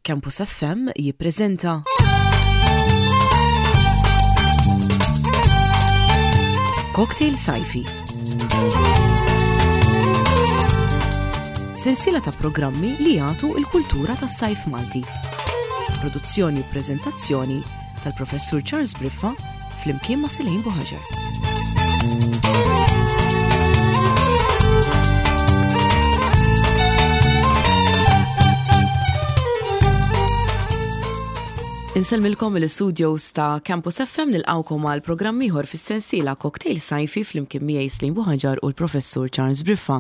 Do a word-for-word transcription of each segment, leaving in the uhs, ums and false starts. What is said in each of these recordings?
Campus F M jippreżenta Cocktail Sajfi. Sensiela ta' programmi li jagħtu il-kultura tas-sajf Malti. Produzzjoni u preżentazzjoni tal-Professur Charles Briffa flimkien ma' Silejn Buħaġar. Insellmilkom mill-studios ta' Campus F M, nilqawkom għal programm ieħor fis-sensiela Cocktail Sajfi flimkien miegħi Slim Buħaġar u l-Professur Charles Briffa.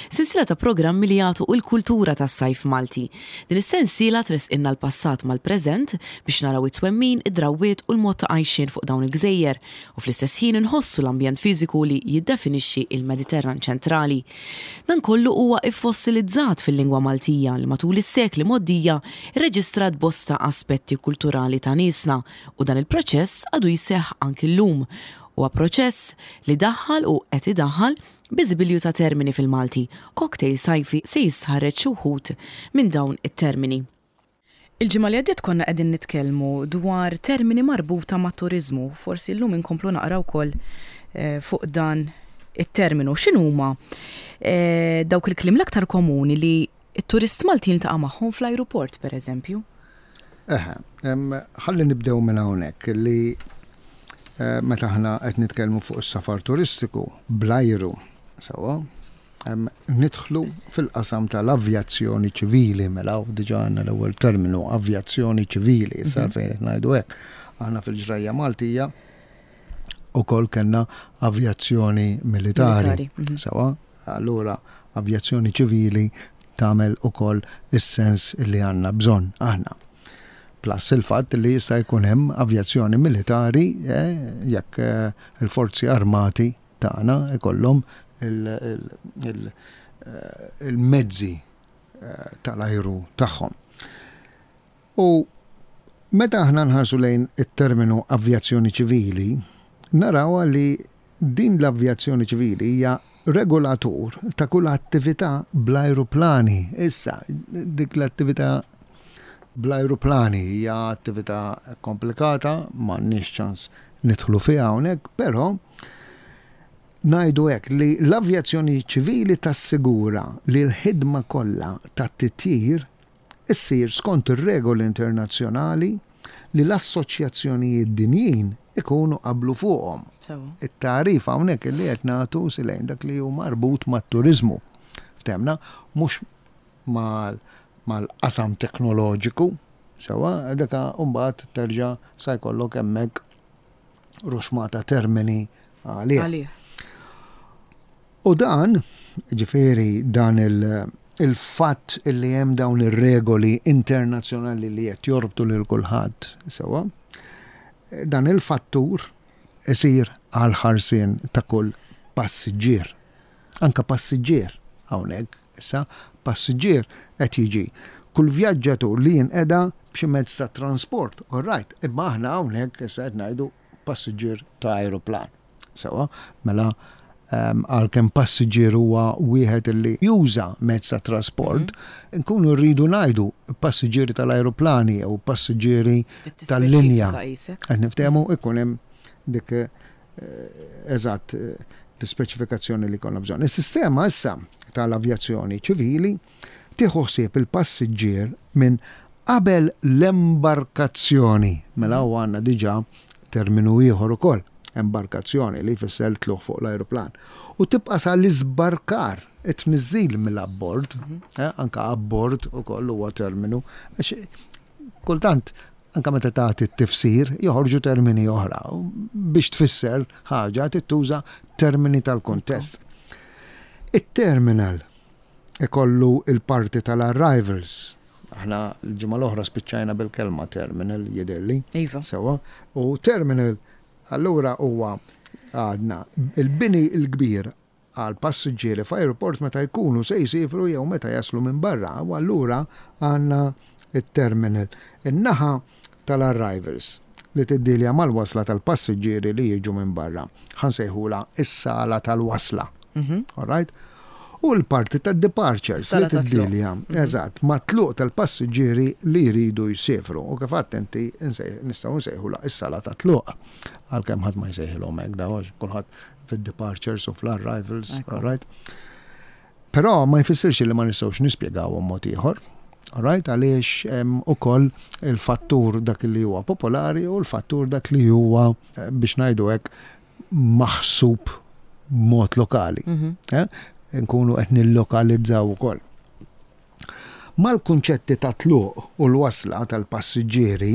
Sensiela ta' programmi li jagħtu l-kultura tas-sajf Malti. Din is-sensiela tresqinna l-passat mal-preżent biex naraw it-twemmin, id-drawwiet u l-mod ta' għajxien fuq dawn il-gżejjer u fl-istess ħin inħossu l-ambjent fiżiku li jiddefinixxi il-Mediterran ċentrali. Dan kollu huwa iffossilizzat fil-lingwa Maltija li matul is-sekli mgħoddija rreġistrat bosta aspetti kulturali ta' niesna u dan il-proċess għadu jseħħ anki llum. Huwa proċess li daħħal u qed idaħħal biżibilju ta' termini fil-Malti. Cocktail Sajfi se jisħareġ xi wħud minn dawn it-termini. Il-ġimgħa li għaddiet konna qegħdin nitkellmu dwar termini marbuta ma' turiżmu, forsi llum inkomplu naqra wkoll eh, fuq dan it-terminu. X'inhuma eh, dawk il-kliem l-aktar komuni li t-turist Malti jiltaqa' magħhom fl-ajruport, pereżempju? Eħe, ħalli nibdew minn hawnhekk li eh, meta aħna qed nitkellmu fuq is-safar turistiku bl-ajru, sewwa, nidħlu fil-qasam tal-avjazzjoni ċivili, mela u diġà għandna l-ewwel terminu, avjazzjoni ċivili, issa mhm. fejn qed ngħidu hekk. Aħna fil-ġrajja Maltija ukoll kellna avjazzjoni militari. Mhm. Sewwa, allura avjazzjoni ċivili tagħmel ukoll is-sens li għandna bżonn aħna. Plus il-fatt li jista' jkun hemm avjazzjoni militari eh, jekk eh, il-forzi armati tagħna ikollhom eh, il-mezzi tal-ajru tagħhom. U meta aħna nħarsu lejn it-terminu avjazzjoni ċivili, naraw li din l-avjazzjoni ċivili hija regolatur ta' kull attività bl-ajruplani. Issa, dik l-attività bl-ajruplani hija attività komplikata, m'għandniex ċans nidħlu fiha hawnhekk, però ngħidu hekk li l-avjazzjoni ċivili tassigura li l-ħidma kollha tat-titjir issir skont ir-regoli internazzjonali li l-assoċjazzjonijiet dinjin ikunu qablu fuqhom. It-tarif hawnhekk li qed nagħtu silejn dak li hu marbut mat-turiżmu. Ftemna, mhux mal mal-qasam teknoloġiku, sewwa, daka mbagħad terġa' sa jkollok hemmhekk ruxmata termini għalih. U dan, ġifieri dan il-fatt illi hemm dawn ir-regoli internazzjonali li qed jorbtu lil kulħadd, sewwa, dan il-fattur isir għal ħarsien ta' kull passiġġier. Anka passiġġier hawnhekk issa passiġġier qed jiġi kull vjaġġatur li jinqeda b'xi mezz ta' transport, all right, imma aħna hawnhekk issa qed ngħidu passiġġier ta' ajruplan. Sewwa, mela għalkemm passiġġier huwa wieħed li juża mezz ta' trasport, mhm. nkunu rridu ngħidu passiġġieri tal-ajruplani jew passiġġieri tal-linja. Qed niftehmu, ikun hemm dik eh, eżatt eh, l-ispeċifikazzjoni li konna bżonn. Is-sistema issa tal-avjazzjoni ċivili tieħu ħsieb il-passiġġier minn qabel l-embarkazzjoni. Mela u għandna diġà terminu ieħor ukoll, embarkazzjoni li jfisser tlugħ fuq l-ajruplan. U tibqa' sa l-iżbarkar, it-tniżżil mill-abbord, mhm. eh, anka abbord ukoll huwa terminu, kultant anka meta tagħti t-tifsir joħorġu termini oħra. Biex tfisser ħaġa tittuża termini tal-kuntest. It-terminal ikollu il-parti tal-arrivals. Aħna l-ġimgħa l-oħra spiċċajna bil-kelma terminal, jidhirli. Iva. Sewwa. U terminal allura huwa għadna il-bini l-kbir għal passiġġieri f'ajruport meta jkunu se jsifru jew meta jaslu minn barra. U allura għandna it-terminal. In-naħa tal-arrivals li tiddilja mal-wasla tal-passiġġieri li jiġu minn barra. Ħa nsejħula is-sala tal-wasla. Mhm. All right? U l-parti ta' departures Sala li ta' tluq. tiddilja, eżatt, ma' tluq tal-passiġġieri li jridu jsifru. U kif attenti nistgħu nsejħu is-sala ta' tluq. Għalkemm ħadd ma jsejħilhom hekk daw, għax kulħadd fid-departures u fl-arrivals, Ekku. all right? Però ma jfissirx li ma nistgħux nispjegawhom mod ieħor. All right, għaliex hemm ukoll il-fattur dak li huwa popolari u l-fattur dak li huwa, eh, biex ngħidu hekk, maħsub mod lokali. Mhm. Eh? Nkunu qed nillokalizzaw ukoll. Mal-kunċetti ta' tluq u l-wasla tal-passiġġieri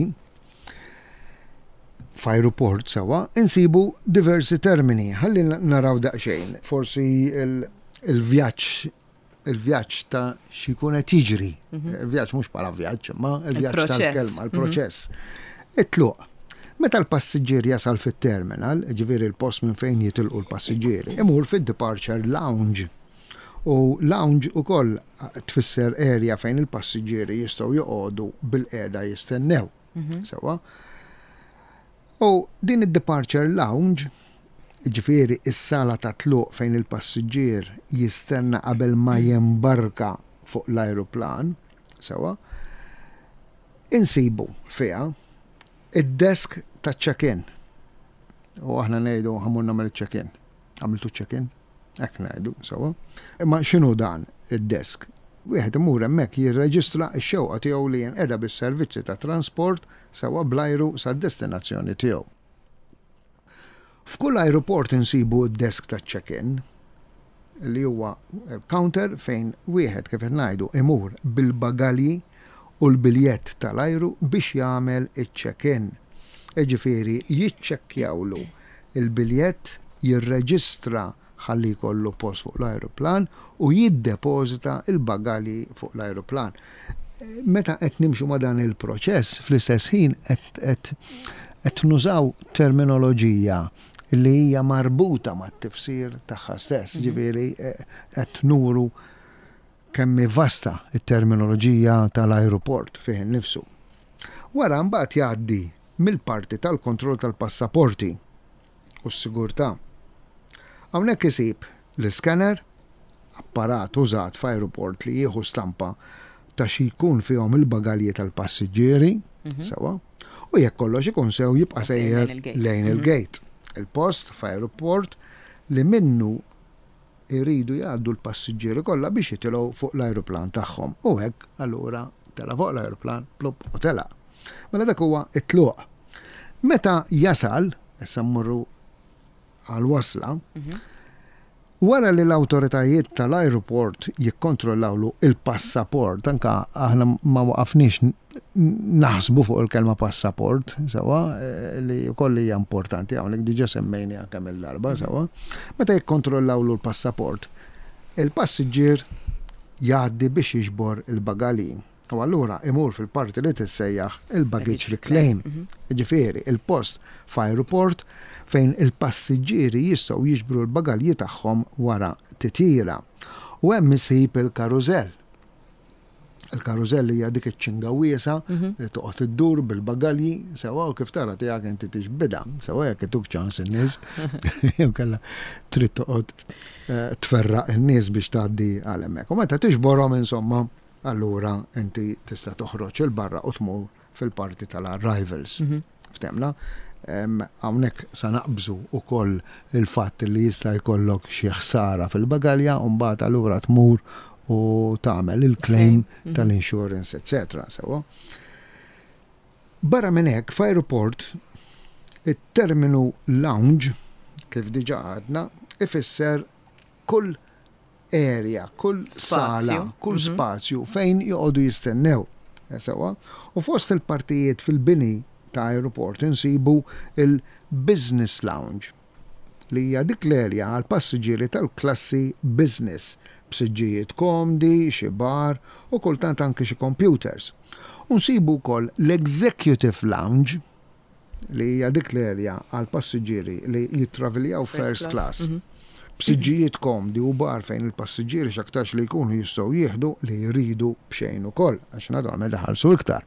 f'ajruport sewa, insibu diversi termini. Ħalli naraw daqsxejn. Forsi il- il-vjaġġ il-vjaġġ ta' x'ikun qed jiġri. Il-vjaġġ mhux bħala vjaġġ, imma il-vjaġġ Il-proċess. tal-kelma, il-proċess. It-tluq. Meta l-passiġġier jasal fit-terminal, ġifieri il-post minn fejn jitilqu l-passiġġieri, imur fid-departure lounge. U lounge ukoll tfisser area fejn il-passiġġieri jistgħu joqogħdu bil-qiegħda jistennew. Sewa. U din id-departure lounge, ġifieri is-sala ta' tluq fejn il-passiġġier jistenna qabel ma jembarka fuq l-ajruplan, sewa, insibu fiha id-desk ta' check-in. U aħna ngħidu ħa mmur nagħmel check-in. Għamiltu check-in? Hekk ngħidu, sewa. Imma x'inhu dan id-desk? Wieħed imur hemmhekk jirreġistra x-xewqa tiegħu li jinqeda bis-servizzi ta' transport sewa bl-ajru sad-destinazzjoni tiegħu. F'kull aeroport insibu d-desk ta' check-in li huwa counter fejn wieħed, kif qed ngħidu, imur bil-bagalji u l-biljett tal-ajru biex jagħmel iċ-check-in. Ġifieri jiċċekkjawlu il-biljett, jirreġistra ħalli jkollu post fuq l-ajruplan u jiddepożita il-bagalji fuq l-ajruplan. Meta qed nimxu ma' dan il-proċess, fl-istess ħin qed qed qed nużaw terminoloġija li hija marbuta mat-tifsir tagħha stess, ġifieri eh, qed nuru kemm hi vasta it-terminoloġija tal-ajruport fih innifsu. Wara mbagħad jgħaddi mill-parti tal-kontroll tal-passaporti u s-sigurtà. Hawnhekk isib l-scanner, apparat użat f'ajruport li jieħu stampa ta' xi jkun fihom il-bagalji tal-passiġġieri, sewa, u jekk kollox ikun sew jibqa' sejjer sejjer lejn il-gate. Lejn il-gate. Il-post f'ajruport li minnu iridu jgħaddu l-passiġġieri kollha biex jitilgħu fuq l-ajruplan tagħhom. U hekk allura tela' fuq l-ajruplan, plup, u tela'. Mela dak huwa it-tluq. Meta jasal, issa mmorru għal-wasla, wara li l-autoritajiet tal-aeroport jikkontrollawlu il-passaport, anka aħna ma waqafniex n- naħsbu fuq il-kelma passaport, sewa, eh, li wkoll hija importanti, hawnhekk diġà semmejni kemm il-darba, sewa. Meta jikkontrollawlu l-passaport, il-passiġġier jgħaddi biex jiġbor il-bagalji. U allura imur fil-parti li tissejjaħ il-baggage reclaim. Ġifieri, il-post f'aeroport fejn il-passiġġieri jistgħu jiġbru l-bagalji tagħhom wara titjira. U hemm isib il-karużell. Il-karużell hija dik iċ-ċinga wiesa li toqgħod iddur bil-bagalji, sewa, u kif tara tiegħek inti tiġbidha, sewa, jekk ituk ċans in-nies, jew kellha trid toqgħod eh, tferraq in-nies biex tgħaddi għal hemmhekk. U meta tiġborhom, insomma, allura inti tista' toħroġ 'il barra u tmur fil-parti tal-arrivals. Ftemna? Em, Hawnhekk sa naqbżu ukoll il-fatt li jista' jkollok xi ħsara fil-bagalja u mbagħad allura tmur u tagħmel il-claim tal-insurance, eċċetera. Sewa. Barra minn hekk, f'aeroport it-terminu lounge, kif diġà għadna, ifisser kull area, kull sala, Spazju. Kull spazju fejn joqogħdu jistennew. Eh, Sewa. U fost il-partijiet fil-bini ta' aeroport insibu il-business lounge, li hija dik l-area għal passiġġieri tal-klassi business, b'siġġijiet komdi, xi bar u kultant anke xi computers. U nsibu wkoll l-executive lounge, li hija dik l-area għal passiġġieri li jittraviljaw First first class. class. B'siġġijiet komdi u bar fejn il-passiġġieri x'aktarx li jkunu jistgħu jieħdu li jridu b'xejn ukoll, għax naturalment iħallsu iktar.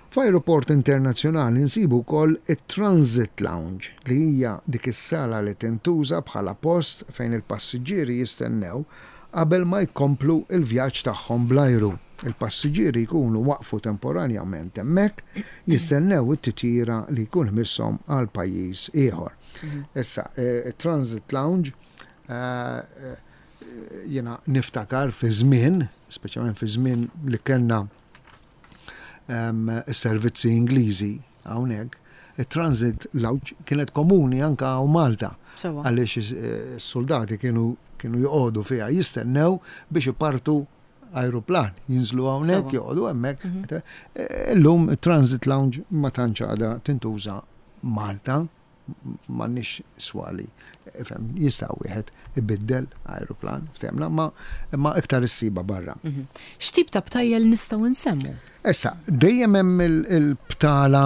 F'aeroport internazzjonali nsibu wkoll it-Transit Lounge, li hija dik is-sala li tintuża bħala post fejn il-passiġġieri jistennew qabel ma jkomplu il-vjaġġ tagħhom bl-ajru. Il-passiġġieri jkunu waqfu temporanjament hemmhekk jistennew it-titjira li jkun misshom għal pajjiż ieħor. Issa, eh, Transit Lounge eh, eh, jiena niftakar fi żmien, speċjalment fi żmien li kellna em, servizzi Ingliżi hawnhekk, il-Transit Lounge kienet komuni anka hawn Malta Sewwa. Għaliex is-soldati kienu kienu joqogħdu fiha jistennew biex ipartu aeroplan, jinżlu hawnhekk, Sewwa. joqogħdu hemmhekk. Illum Transit Lounge ma tantx għadha tintuża Malta, m'għandniex swali. Ifhem, jista' wieħed ibiddel aeroplan, ftehmna, ma imma iktar issiba barra. X'tip ta' btajjel nistgħu nsemmu? Issa, dejjem hemm il- il-btala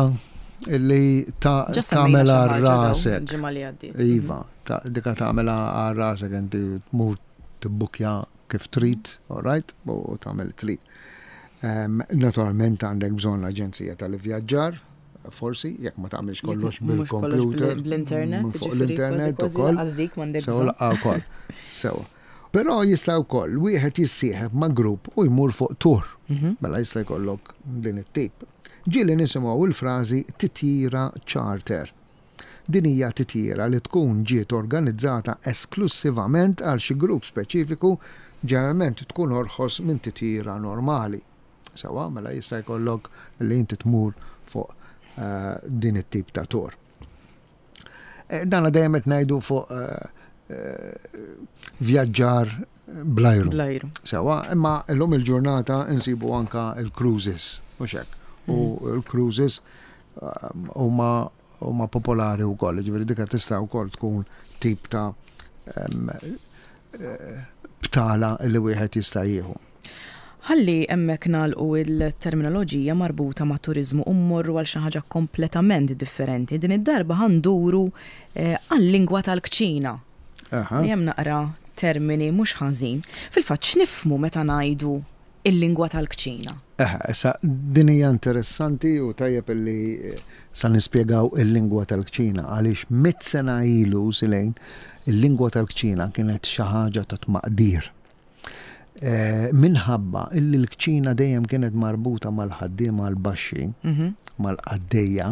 li ta' Ġa semmejna tagħmel xi ħaġa dawn rasek. il-ġimgħa li għaddiet. Iva, ta' dika tagħmela għal rasek, inti tmur tibbukja kif trid, all right, u tagħmel trid. Um, naturalment għandek bżonn aġenzija tal-vjaġġar, forsi, jekk ma tagħmilx kollox Mhux kollox bil-computer. bl- bl-internet, minn fuq ġifieri, l-internet kważi kważi ukoll. lanqas dik m'għandek Sew bżonn. laqgħa wkoll. Sew. Però jista' wkoll wieħed jissieħeb ma' grupp u jmur fuq tour. Mhm. Mela jista' jkollok din it-tip. Ġieli nisimgħu il-frażi titjira charter. Din hija titjira li tkun ġiet organizzata esklusivament għal xi grupp speċifiku, ġeneralment tkun orħos minn titjira normali. Sewwa, mela jista' jkollok li inti tmur fuq eh, din it-tip ta' tour. Eh, Dana dejjem qed ngħidu fuq eh, eh, vjaġġar bl-ajru. Bl-ajru. Sewwa, imma llum il-ġurnata insibu anka il-cruises, u hekk. U l-cruises um, huma huma popolari wkoll, ġifieri dika tista' wkoll tkun tip ta' em, eh, btala li wieħed jista' jieħu. Ħalli hemmhekk nagħlqu il-terminoloġija marbuta ma' turiżmu u mmorru għal xi ħaġa kompletament differenti. Din id-darba ħa nduru eh, għal-lingwa tal-kċina. Aha. Li hemm naqra termini mhux ħażin. Fil-fatt, x'nifhmu meta ngħidu il-lingwa tal-kċina? Eħe, issa din hija interessanti u tajjeb illi eh, sa nispjegaw il-lingwa tal-kċina, għaliex mitt sena ilu silejn il-lingwa tal-kċina kienet xi ħaġa ta' tmaqdir. Eh, minħabba illi l-kċina dejjem kienet marbuta mal-ħaddiema l-baxxi, Mhm. mal-qaddejja,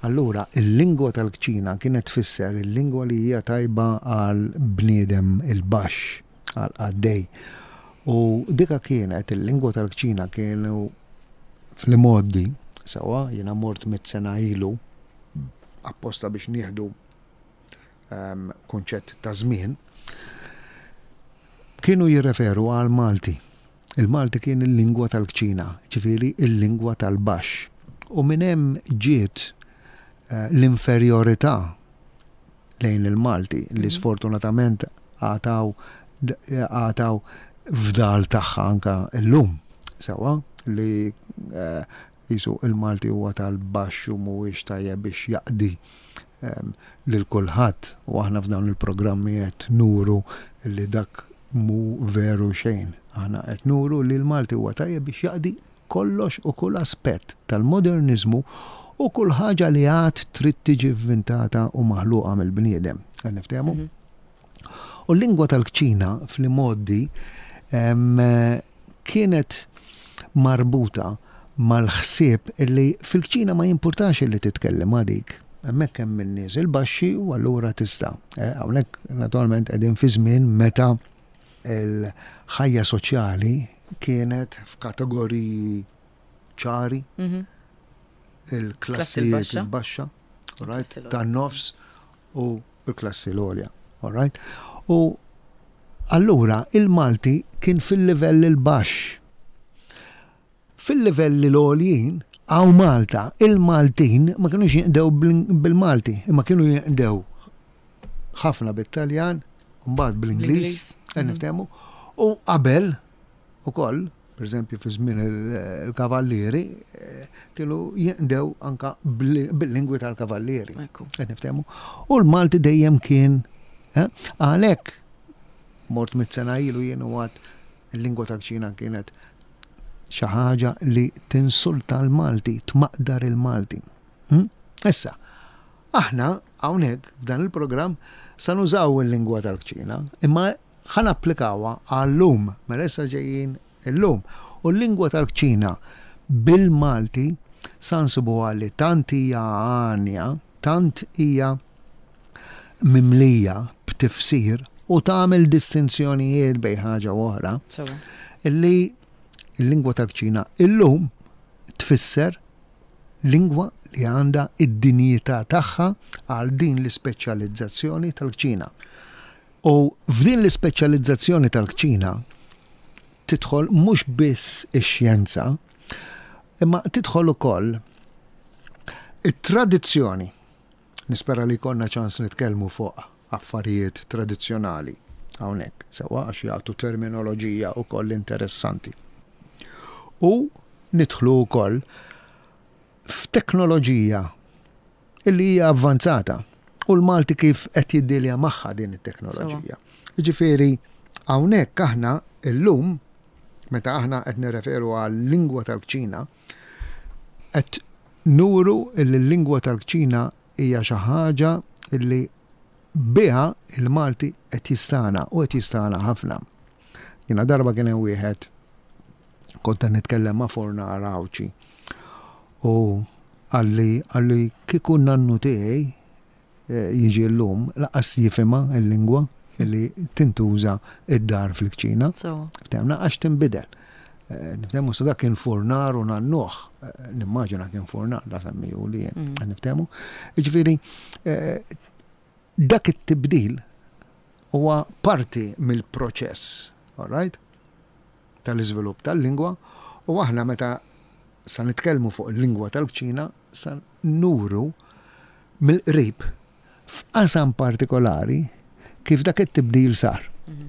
allura il-lingwa tal-kċina kienet tfisser il-lingwa li hija tajba għal bniedem il-baxx, għal qaddej. U dika kienet il-lingwa tal-kċina, kienu fl-modi, sewwa, jiena mort mitt sena ilu apposta biex nieħdu um, konċett ta' żmien, kienu jirreferu għal Malti. Il-Malti kien il-lingwa tal-kċina, ġifieri il-lingwa tal-baxx. U minn hemm ġiet eh, l-inferjorità lejn il-Malti li Mhm. sfortunatament għataw għataw fdal tagħha anka llum. Sewwa, li eh, jisu il-Malti huwa tal-baxx u mhuwiex tajjeb biex jaqdi em, lil kulħadd, u aħna f'dawn il-programmi qed nuru li dak mu veru xejn. Aħna qed nuru li l-Malti huwa tajjeb biex jaqdi kollox u kull aspett tal-modernizmu u kull ħaġa li għad trid tiġi vvintata u maħluqa mill-bniedem. Qed niftehmu? Mhm. U l-lingwa tal-kċina fl-modi em, kienet marbuta mal-ħsieb illi fil-kċina ma jimpurtax illi titkellem għadik. Hemmhekk hemm in-nies il-baxxi u allura tista'. Eh, Hawnhekk naturalment qegħdin fi żmien meta il-ħajja soċjali kienet f'kategoriji ċari, Mhm. il-klassijiet il-baxxa. il-baxxa, all right, Klassi l-għolja. tan-nofs u l-klassi l-għolja, all right? U allura il-Malti kien fil-livell il-baxx. Fil-livelli l-għoljin, hawn Malta, il-Maltin ma kienux jinqdew bil- bil-Malti, imma kienu jinqdew ħafna bit-Taljan, mbagħad bl-Ingliż, Bl-Ingliż. qed niftehmu, u qabel ukoll, per eżempju fi żmien il- il-kavallieri, eh, kienu jinqdew anka bil- bil-lingwi tal-kavallieri. Ekku. Qed niftehmu. U l-Malti dejjem kien eh, għalhekk mort mitt sena ilu jien u għad il-lingwa tal-kċina kienet xi ħaġa li tinsulta l-Malti, tmaqdar il-Malti. Hm? Issa, aħna hawnhekk f'dan il-programm sa nużaw il-lingwa tal-kċina, imma Ħa napplikawha għal-lum, mela issa ġejjin illum. U l-lingwa tal-kċina bil-Malti sa nsibuha li tant hija għanja, tant hija mimlija b'tifsir u tagħmel distinzjonijiet bejn ħaġa u oħra, illi l-lingwa tal-kċina illum tfisser lingwa li għandha id-dinjità tagħha għal din l-ispeċjalizzazzjoni tal-kċina. U f'din l-ispeċjalizzazzjoni tal-kċina tidħol mhux biss ix-xjenza, imma tidħol ukoll it-tradizzjoni. Nispera li jkollna ċans nitkellmu fuq affarijiet tradizzjonali hawnhekk, sewwa, għax jagħtu terminoloġija wkoll interessanti. U nidħlu wkoll f'teknoloġija illi hija avvanzata u l-Malti kif qed jiddilja magħha din it-teknoloġija. Jiġifieri hawnhekk aħna illum, meta aħna qed nirreferu għal lingwa tal-kċina, qed nuru illi l-lingwa tal-kċina hija xi ħaġa illi biha il-Malti qed jistana u qed jistana ħafna. Jiena darba kien hemm wieħed, kont qed nitkellem ma' fornar Għawdxi, u qalli qalli kieku nannu tiegħi eh, jiġi llum, lanqas jifhimha il-lingwa illi tintuża id-dar fil-kċina. Ftehmna, għax tinbidel. Eh, Niftehmu sa dak kien furnar u nannuh, eh, nimmaġina kien furnar, la semmiju li jien, mm. niftehmu. Jiġifieri, dak it-tibdil huwa parti mill-proċess, all right? Tal-iżvilupp tal-lingwa, u aħna meta sa nitkellmu fuq il-lingwa tal-kċina sa nuru mill-qrib f'qasam partikolari kif dak it-tibdil sar. Mhm.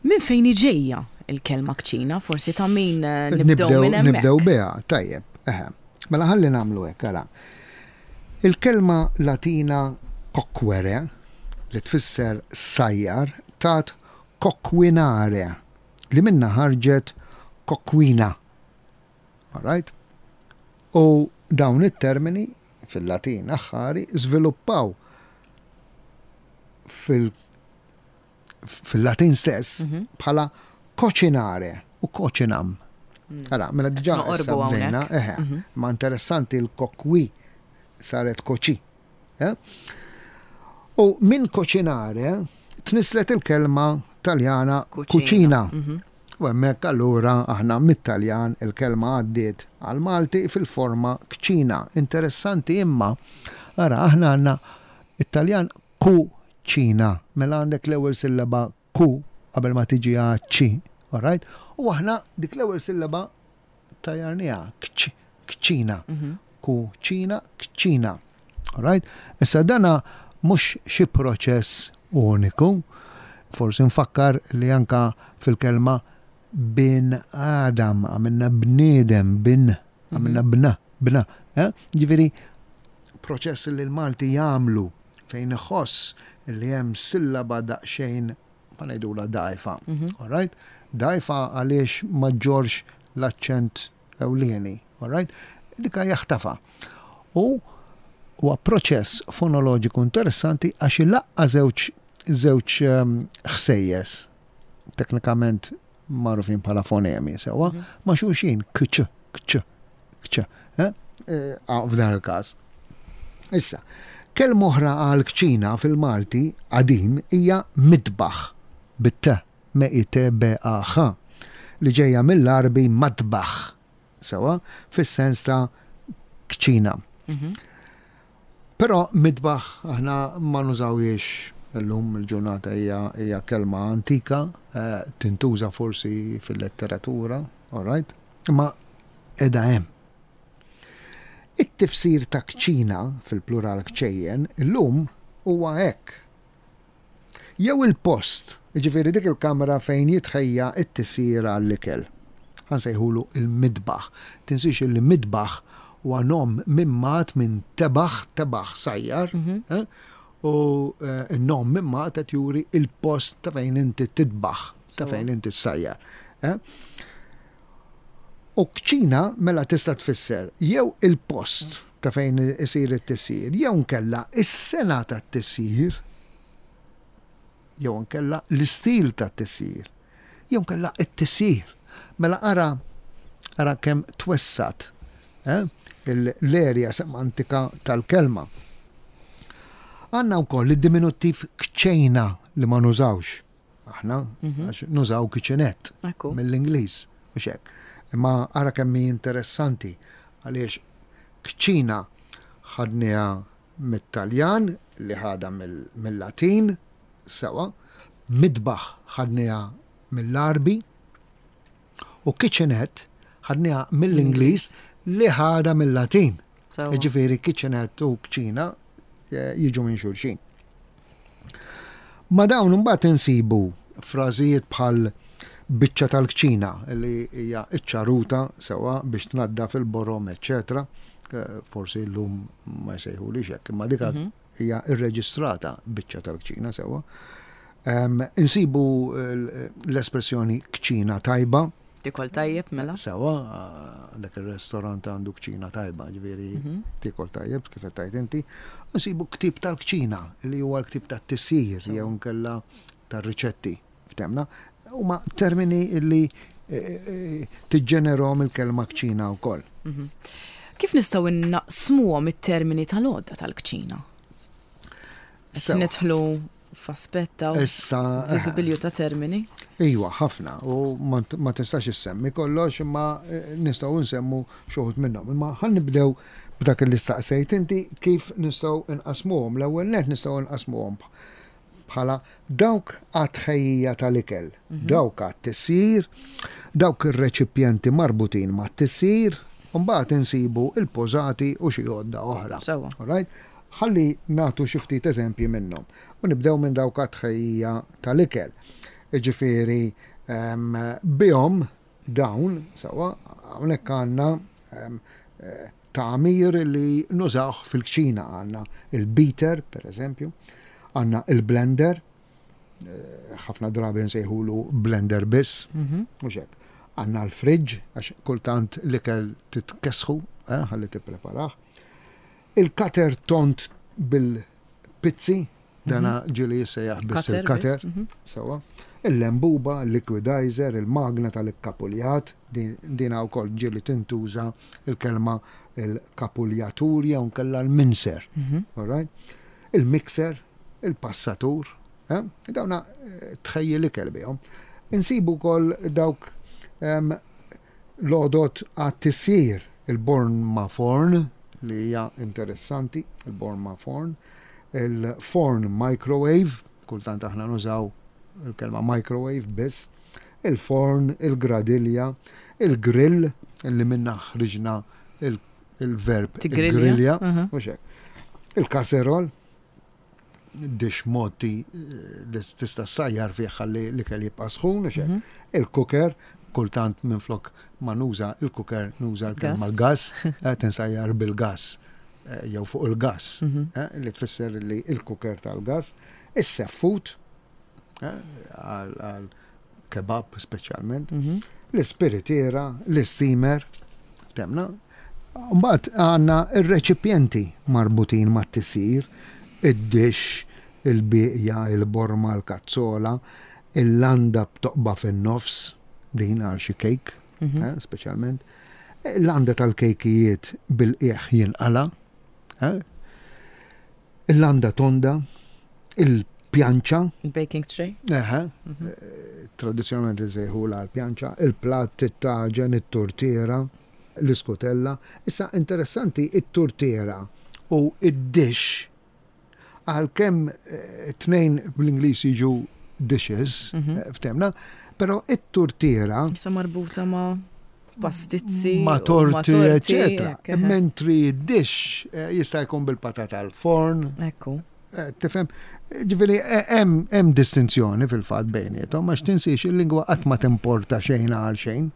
Min fejn ġejja il-kelma kċina, forsi ta' min eh, nibdew minn hemmhekk. Nibdew biha, tajjeb. Eħe. Mela ħalli nagħmlu hekk, ara. Il-kelma Latina coquere, li tfisser sajjar, tat coquinare, li minna ħarġet kokwina. All right? U dawn it-termini fil-Latin aħħari żviluppaw fil- fil-Latin stess mhm. bħala cocinare u cocinam. Mm. Ara, mela diġà issa bdejna, eħe, mhm. ma interessanti l-kokwi saret koċi. Eh? U minn cocinare tnislet il-kelma Taljana cucina. Mhm. U hemmhekk allura aħna mit-Taljan il-kelma għaddiet għal-Malti fil-forma kċina. Interessanti imma, ara, aħna għandna it-Taljan kuċina. Mela għandek l-ewwel sillaba ku qabel ma tiġi ċi, alright? U aħna dik l-ewwel sillaba tajjarnieha, kċina. Mhm. Kuċina, kċina. Alright? Issa dana mhux xi proċess uniku. Forsi nfakkar li anka fil-kelma bin Adam, għamilna bniedem, bin, għamilna mhm. bna, bna. Eh? Ġifieri, proċess li l-Malti jagħmlu fejn iħoss li hemm sillaba daqsxejn, ma ngħidula, dgħajfa. Mhm. All right? Dgħajfa għaliex ma ġġorrx l-aċċent ewlieni. All right? Dika jaħtafa. U huwa proċess fonoloġiku interessanti għax ilaqqa żewġ żewġ ehm, ħsejjes teknikament magħrufin bħala fonemi sewwa mhm. ma' xulxin, kċ, kċ, kċ. Eh? Eh, f'dan il-każ. Issa, kelma oħra għal kċina fil-Malti qadim hija mitbaħ bit-t, M I T B A H, li ġejja mill-Arbi matbaħ, sewwa, fis-sens ta' kċina. Mhm. Però mitbaħ aħna ma nużawhiex illum il-ġurnata, hija hija kelma antika, eh, tintuża forsi fil-letteratura, all right? Ma edha hemm. It-tifsir ta' kċina fil-plural kċejjen illum huwa hekk. Jew il-post, jiġifieri dik il-kamra fejn jitħejja it-tisjir għall-ikel. Ħa nsejħulu il-midbaħ. Tinsix il midbaħ huwa nom mimmat minn tebaħ, tebaħ sajjar, mhm. eh? U eh, n-nom mimmat qed juri il-post ta' fejn inti titbaħ, ta' fejn inti sajjar. Eh? U kċina mela tista' tfisser jew il-post ta' fejn isir it-tisjir, jew nkella is-sengħa tat-tisjir, jew nkella l-istil tat-tisjir, jew nkella it-tisjir. Mela ara ara kemm twessat eh, l-erja semantika tal-kelma. Għandna wkoll id-diminuttiv kċejna li ma nużawx. Aħna Mhm. għax nużaw kitchenette Ekku. mill-Ingliż, u hekk. Imma ara kemm hi interessanti għaliex kċina ħadniha mit-Taljan li ħadha mill- mill-Latin, sewa, midbaħ ħadniha mill-Arbi u kitchenette ħadniha mill-Ingliż li ħadha mill-Latin. Sewa. Ġifieri kitchenette u kċina eh, jiġu minn xulxin. Ma dawn imbagħad insibu frażijiet bħal biċċa tal-kċina li hija iċ-ċaruta sewa biex tnaddaf il-borom, eċetera. Eh, Forsi llum ma jsejħulix hekk, imma dika Mhm. hija irreġistrata biċċa tal-kċina sewa. Em, Insibu l- l-espressjoni kċina tajba, Tikol tajjeb mela. sewa, dak il-restorant għandu kċina tajba, ġifieri Mhm. tikol tajjeb, kif qed tgħid inti. Nsibu ktib tal-kċina, li huwa l-ktib tat-tisjir, jew nkella tar-riċetti, ftemna. Huma termini li eh, eh, tiġġenerhom il-kelma kċina wkoll. Mhm. Kif nistgħu naqsmuhom it-termini tal-għodda tal-kċina? Qed Sewa. nidħlu f'aspett ta' Issa, eh, viżibilju ta' termini. Iwa, ħafna, u ma ma tistax issemmi kollox, imma eh, nistgħu nsemmu xi wħud minnhom. Imma ħa nibdew b'dak li staqsejt inti kif nistgħu nqasmuhom. L-ewwel net nistgħu nqasmuhom bħala dawk għat-tħejjija tal-ikel, dawk għat-tisjir, dawk ir-reċipjenti marbutin mat-tisjir, u mbagħad insibu il-pożati u xi għodda oħra. Sewa. Alright? Ħalli nagħtu xi ftit eżempji minnhom. U nibdew minn dawk għat-tħejjija tal-ikel. Ġifieri em, bihom dawn, sewa, hawnhekk għandna em, eh, tagħmir li nużawh fil-kċina għandna il-beater, per eżempju, għandna il-blender, eh, ħafna drabi nsejħulu blender biss, Mhm. mhux hekk. Għandna l-fridge, għax kultant l-ikel titkessħu, eh, ħalli tippreparah. Il-cutter tond bil-pizzi, dana ġieli jissejjaħ biss Cutter il-cutter, biss, mhm. sewa. Il-lembuba, il-liquidizer, il-magna tal-ikkapuljat, din dina wkoll ġieli tintuża il-kelma il-kapuljatur jew nkella l-mincer. Mhm. All right? Il-mixer, il-passatur, eh? Dawna eh, tħejji l-ikel bihom. Insibu wkoll dawk em, l-għodod għat-tisjir, il-born ma forn, li hija interessanti, il-born ma forn, il-forn microwave, kultant aħna nużaw il-kelma microwave biss, il-forn, il-gradilja, il-grill, illi minna ħriġna il- il-verb Tigrilja. grilja, Mhm. u hekk. Il-kasserol, dish moti eh, li tista' ssajjar fih ħalli l-ikel jibqa' sħun, u hekk. Mhm. Il-cooker, kultant minflok ma nuża il-cooker nuża l-kelma Gas. l-gas, qed insajjar bil-gas eh, jew fuq il-gas, Mhm. eh, li tfisser li il-cooker tal-gas, is-seffut, eh, għal għal kebab speċjalment, Mhm. l-ispiritiera, l-steamer, temna. Mbagħad għandna ir-reċipjenti marbutin mat-tisir, id-dish, il-bieqja, il-borma, l-kazzola, il-landa b'toqba fin-nofs, din għal xi kejk, Mhm. eh, speċjalment. Il-landa tal-kejkijiet bil-qieħ jinqala, eh? Il-landa tonda, il-pjanċa, Il-baking tray. eħe, Mhm. tradizjonalment insejħula l-pjanċa, il-platt, it-taġen, it-tortiera, l-iskutella. Issa interessanti it-tortiera u id-dish għalkemm eh, tnejn bl-Ingliż jiġu dishes, Mhm. eh, ftemna, però it-tortiera Issa marbuta ma' pastizzi. ma u torti, eccetera. hekk, eħe. Mentri id-dish eh, jista' jkun bil-patata al-forn, Ekku. Eh, Tifhem, ġifieri eh, hemm hemm distinzjoni fil-fatt bejniethom għax tinsiex il-lingwa qatt ma timporta xejn għal xejn.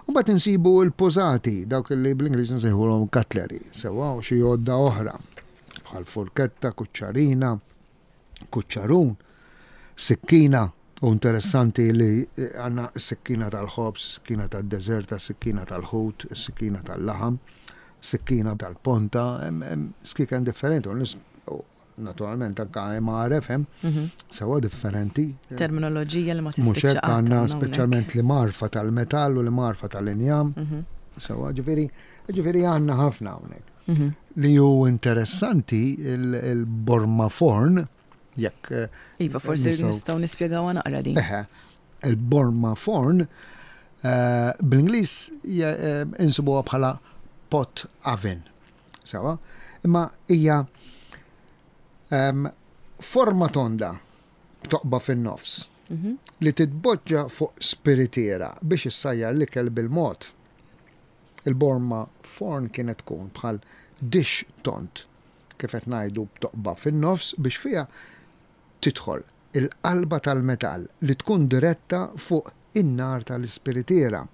U mbagħad insibu l-pożati, dawk li bl-Ingliż nsejħulhom cutlery, sewa u xi għodda oħra bħal forketta, kuċċarina, kuċċarun, sikkina. U interessanti li eh, għandna sikkina tal-ħobż, sikkina tad-deżerta, sikkina tal-ħut, sikkina tal-laħam, sikkina tal-ponta, hemm hemm skiken differenti. U nis- u Naturalment anka imgħaref hemm, mhm. sewa differenti. Terminoloġija li ma tispiċċa. Mhux għandna speċjalment l-imgħarfa tal-metall u l-imgħarfa tal-injam. Mhm. Sewa ġifieri, ġifieri għandna ħafna hawnhekk. Mhm. Li hu interessanti il-borma forn, jekk. Eh, iva, forsi nistgħu nispjegaw naqra din. Eħe, il-borma forn eh, bl-Ingliż eh, insibuha bħala pot oven. Sewa, imma hija um, forma tonda toqba fin-nofs mm -hmm. li titboġġa fuq spiritiera biex issajjar l-ikel bil-mod. Il-borma forn kienet tkun bħal dish tond kif qed ngħidu b'toqba fin-nofs biex fiha tidħol il-qalba tal-metall li tkun diretta fuq in-nar tal-ispiritiera.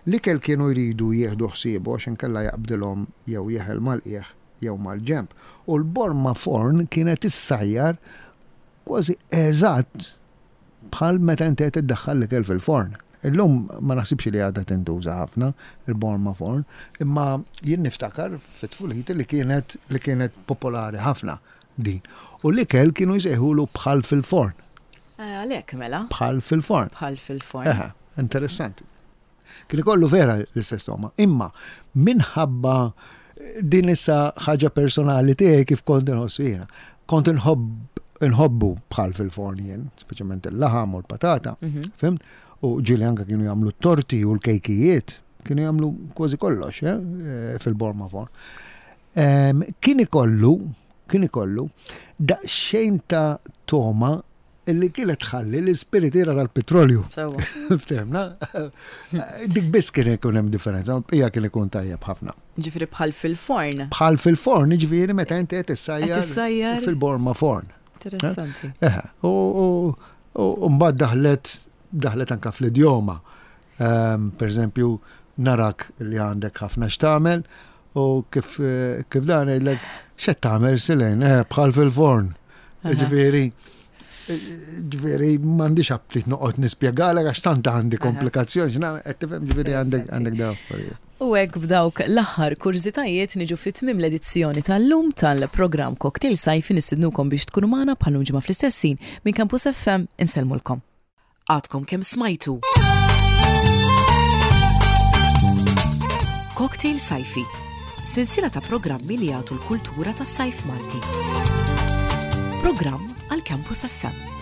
L-ikel kienu jridu jieħdu ħsiebu għax inkella jaqbdilhom jew jeħel mal-qiegħ jew mal-ġenb. U l-borma forn kienet issajjar kważi eżatt bħal meta inti qed iddaħħal l-ikel fil-forn. Illum ma naħsibx li għadha tintuża ħafna il-borma forn, imma jien niftakar fit-tfuliti li kienet li kienet popolari ħafna din. U l-ikel kienu jsejħulu bħal fil-forn. Eh, għalhekk mela. Bħal fil-forn. Bħal fil-forn. Interessanti. Kien ikollu vera l-istess togħma. Imma minħabba din issa ħaġa personali tiegħi kif kont inħossu jiena. Kont inħobb inħobbu bħal fil-forn jien, speċjalment il-laħam u l-patata, mhm. fhimt? U ġieli anka kienu jagħmlu t-torti u l-kejkijiet, kienu jagħmlu kważi kollox eh, eh, fil-borma forn. Kien ikollu, kien ikollu daqsxejn ta' toma illi kienet tħalli l-ispiritiera tal-petrolju. Ftehmna? Dik biss kien ikun hemm differenza, hija kien ikun tajjeb ħafna. Ġifieri bħal fil-forn. Bħal fil-forn, ġifieri meta inti qed issajjar fil-borma forn. Interessanti. Eh, u mbagħad daħlet daħlet anka fl-idjoma. Ehm, per eżempju, narak li għandek ħafna x'tagħmel u kif kif dan ngħidlek x'qed tagħmel Silejn, eh, bħal fil-forn. Ġifieri, ġifieri m'għandix aptit noqgħod nispjegalek għax tant għandi komplikazzjoni, qed tifhem ġifieri għandek għandek dawn affarijiet. U hekk b'dawk l-aħħar kurżitajiet niġu fi tmiem l-edizzjoni tal-lum tal-programm Cocktail Sajfi nistednukom biex tkunu magħna bħal ġimgħa fl-istess ħin minn Campus F M insellmulkom. Għadkom kemm smajtu. Cocktail Sajfi, sensiela ta' programmi li jagħtu l-kultura tas-sajf Malti. Programm għal Campus F M.